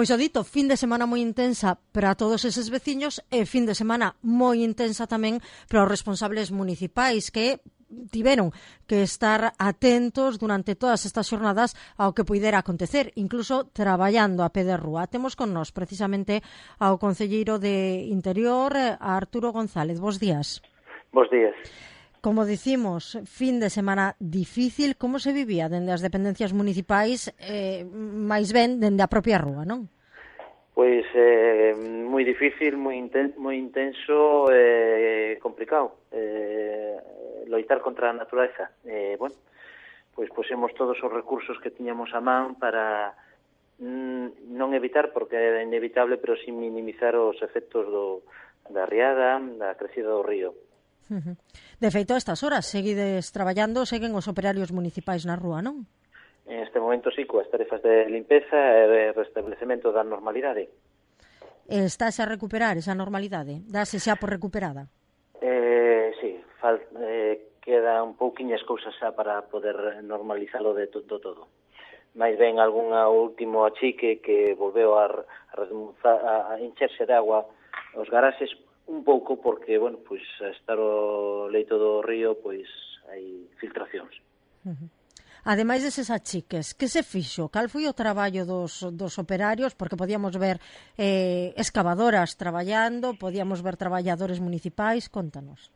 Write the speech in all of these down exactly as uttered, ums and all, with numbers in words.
Pois o dito, fin de semana moi intensa para todos eses veciños e fin de semana moi intensa tamén para os responsables municipais que tiveron que estar atentos durante todas estas xornadas ao que puidera acontecer, incluso traballando a pé de rúa. Temos con nós precisamente ao concelleiro de Interior, a Arturo González. Bos días. Bos días. Como dicimos, fin de semana difícil. Como se vivía dende as dependencias municipais, eh, máis ben dende a propia rúa, non? Pois eh, moi difícil, moi inten moi intenso e eh, complicado. Eh, loitar contra a natureza. Eh, bueno, pois pusemos todos os recursos que tiñamos a man para mm, non evitar, porque é inevitable, pero sin minimizar os efectos do, da riada, da crecida do río. Uh-huh. De feito, a estas horas seguides traballando, seguen os operarios municipais na rúa, non? En este momento sí, coas tarefas de limpeza e de restablecemento da normalidade. Estás a recuperar esa normalidade? Dase xa por recuperada? Eh, sí, fal, eh, queda un pouquiñas cousas xa para poder normalizalo de todo todo. Mais ben algún último achique que volveu a, a, a encherse de agua os garaxes un pouco porque, bueno, pois a estar o leito do río, pois hai filtracións. Uh-huh. Ademais deses achiques, que se fixo? Cal foi o traballo dos, dos operarios? Porque podíamos ver eh, excavadoras traballando, podíamos ver traballadores municipais. Contanos.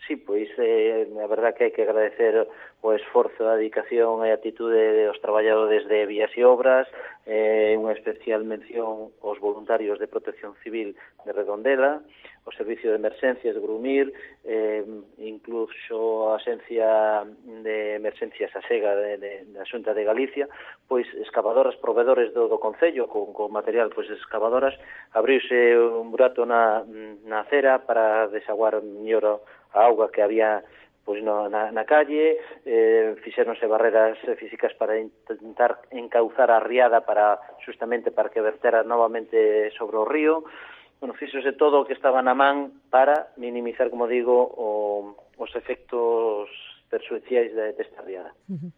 Sí, pois eh, a verdad que hai que agradecer o esforzo, a dedicación e a atitude dos traballadores de Vías e Obras, eh, unha especial mención aos voluntarios de Protección Civil de Redondela, o Servicio de Emerxencias de Grumir, eh, incluso a Axencia de Emerxencias Asega de, de, da Xunta de Galicia, pois excavadoras, proveedores do, do Concello, con, con material, pois excavadoras, abriuse un burato na, na acera para desaguar mellor a auga que había pois no, na, na calle, eh, fixéronse barreras físicas para intentar encauzar a riada para justamente para que vertera novamente sobre o río. Bueno, fíxose todo o que estaba na man para minimizar, como digo, o, os efectos perxudiciais de, desta riada. Uh-huh.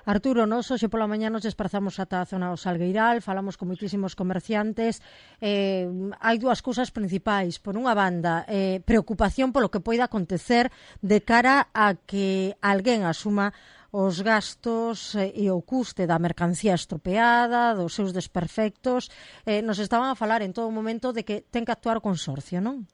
Arturo, nos hoxe pola mañá nos desplazamos ata a zona do Salgueiral, falamos con moitísimos comerciantes. Eh, hai dúas cousas principais. Por unha banda, eh, preocupación polo que poida acontecer de cara a que alguén asuma os gastos e o custe da mercancía estropeada, dos seus desperfectos. Eh, nos estaban a falar en todo momento de que ten que actuar o consorcio, non?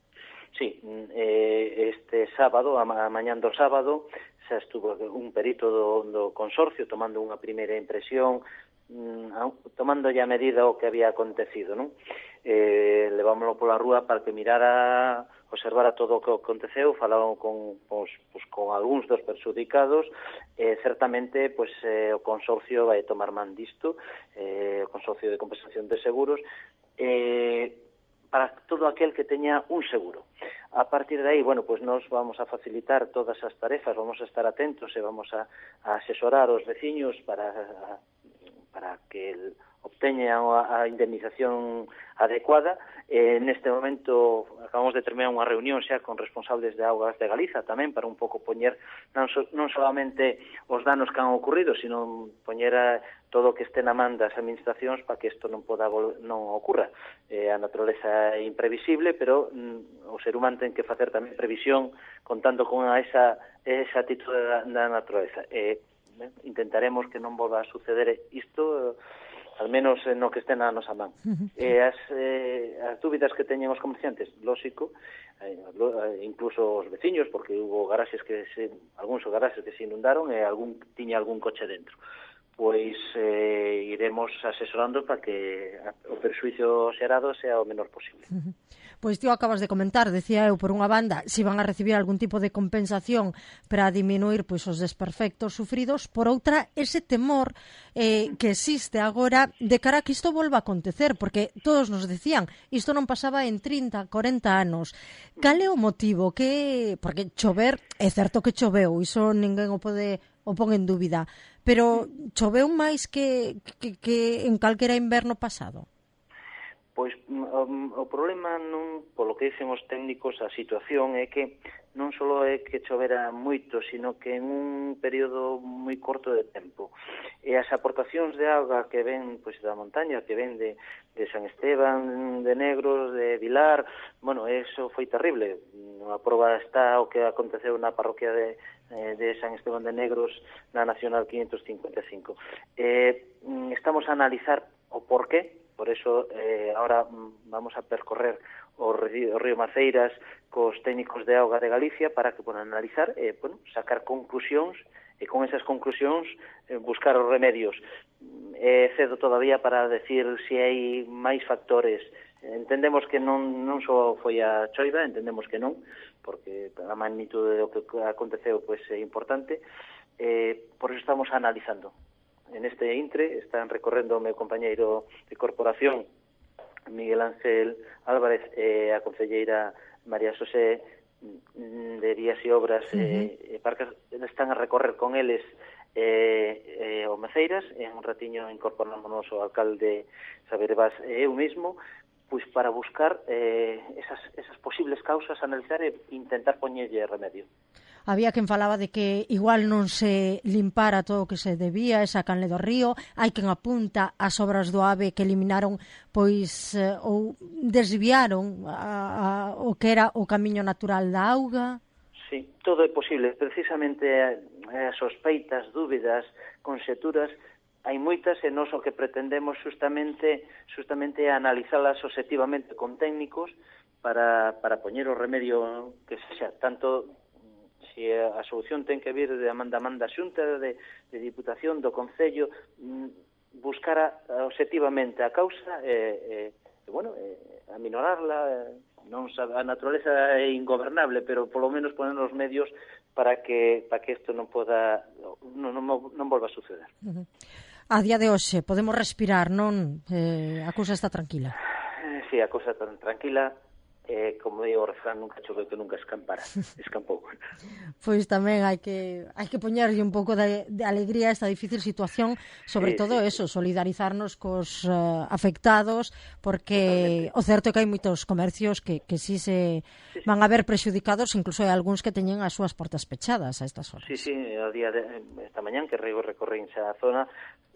Sí, eh, este sábado, a mañán do sábado, xa estuvo un perito do, do consorcio tomando unha primeira impresión, mm, tomando ya medida o que había acontecido, non? Eh, levámoslo pola rúa para que mirara, observara todo o que aconteceu, falaron con, pues, pues, con algúns dos perxudicados, e eh, certamente pues, eh, o consorcio vai tomar man disto, eh, o consorcio de compensación de seguros, eh, para todo aquel que teña un seguro. A partir de aí, bueno, pues nos vamos a facilitar todas as tarefas, vamos a estar atentos e vamos a, a asesorar os veciños para, para que el, obteñan a, a indemnización adecuada. Eh, neste momento acabamos de terminar unha reunión xa con responsables de Augas de Galiza tamén para un pouco poñer non, so, non solamente os danos que han ocurrido, sino poñer a, todo o que este na man das administracións para que isto non poda non ocurra. Eh, a naturaleza é imprevisible, pero mm, o ser humano ten que facer tamén previsión contando con esa, esa atitude da, da naturaleza. Eh, eh, intentaremos que non volva a suceder isto, eh, al menos no que estén a nosa man. Uh-huh. Eh, as, eh, as dúbidas que teñen os comerciantes, lógico, eh, incluso os veciños, porque hubo garaxes que se, algúns garaxes que se inundaron e algún tiña algún coche dentro. Pois eh, iremos asesorando para que o perxuízo xerado sea o menor posible. Uh-huh. Pois ti acabas de comentar, decía eu, por unha banda, se van a recibir algún tipo de compensación para diminuir pois os desperfectos sufridos, por outra, ese temor eh, que existe agora de cara a que isto volva a acontecer, porque todos nos decían, isto non pasaba en trinta, corenta anos. Cal é o motivo? Que porque chover, é certo que choveu, iso ninguén o pode o pon en dúbida, pero choveu máis que, que, que en calquera inverno pasado? Pois o, o problema non, polo que dicen os técnicos, a situación é que non só é que chovera moito, sino que en un período moi corto de tempo. E as aportacións de auga que ven pois da montaña, que ven de, de San Esteban, de Negros, de Vilar, bueno, eso foi terrible. A prova está o que aconteceu na parroquia de, de San Esteban de Negros, na Nacional quinhentos cincuenta e cinco. Eh, estamos a analizar o porqué. Por eso, eh, ahora vamos a percorrer o río, o río Maceiras cos técnicos de auga de Galicia para que podan analizar e, eh, bueno, sacar conclusións e con esas conclusións eh, buscar os remedios. É eh, cedo todavía para decir se hai máis factores. Entendemos que non, non só foi a choiva, entendemos que non, porque a magnitude do que aconteceu pois, é importante, eh, por eso estamos analizando. En este intre están recorrendo o meu compañeiro de corporación, Miguel Ángel Álvarez, e a concelleira María Xosé de Vías e Obras, uh-huh. e, e Parques, están a recorrer con eles eh, eh, o Maceiras, e en un ratiño incorporámonos o alcalde Xavier Vaz e eu mismo, pois para buscar eh, esas, esas posibles causas, analizar e intentar poñerlle remedio. Había quen falaba de que igual non se limpara todo o que se debía, esa canle do río, hai quen apunta as obras do AVE que eliminaron, pois, eh, ou desviaron a, a, o que era o camiño natural da auga. Sí, todo é posible. Precisamente as sospeitas, dúbidas, conxeturas, hai moitas e nós o que pretendemos justamente justamente analizalas objetivamente con técnicos para, para poñer o remedio que sexa, tanto se a solución ten que vir de manda manda xunta de, de Diputación do Concello, buscar a, objetivamente a causa e, e bueno, e, aminorarla. Non sabe, a naturaleza é ingobernable, pero polo menos poner os medios para que para que isto non poda non, non, non volva a suceder. Uh-huh. A día de hoxe podemos respirar, non? Eh, a cousa está tranquila. Eh, sí, a cousa está tranquila. Eh, como digo o refrán, nunca choveu que nunca escampara, escampou. Pois tamén hai que hai que poñerlle un pouco de, de alegría a esta difícil situación, sobre sí, todo sí, eso, solidarizarnos cos uh, afectados, porque totalmente. O certo é que hai moitos comercios que, que sí se sí, sí. van a ver prexudicados, incluso hai algúns que teñen as súas portas pechadas a estas horas. Sí, sí, o día de esta mañán que rego recorrín xa a zona,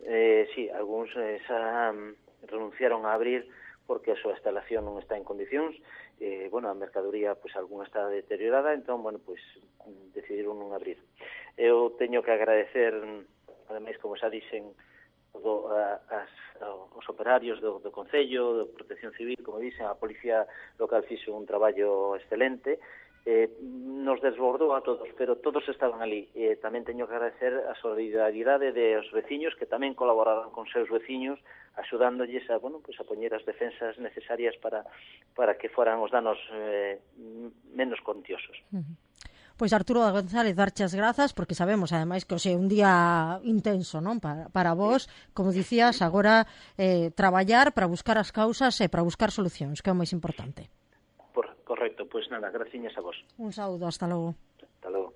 eh, sí, algúns eh, xa um, renunciaron a abrir porque a súa instalación non está en condicións. Eh, bueno, a mercadoría, pois, algunha está deteriorada, entón, bueno, pois, decidiron non abrir. Eu teño que agradecer, ademais, como xa dixen, do, a, as, os operarios do, do Concello, do Protección Civil, como dixen, a Policía Local fixo un traballo excelente, eh, nos desbordou a todos, pero todos estaban ali. Eh, tamén teño que agradecer a solidaridade dos veciños que tamén colaboraron con seus veciños, axudándolles a, bueno, pues a poñer as defensas necesarias para, para que foran os danos eh, menos contiosos. Uh-huh. Pois Arturo González, darche as grazas, porque sabemos, ademais, que hoxe é un día intenso, non? Para, para vos, como dicías, agora eh, traballar para buscar as causas e para buscar solucións, que é o máis importante. Por, correcto, pois nada, graciñas a vos. Un saúdo, hasta logo. Hasta logo.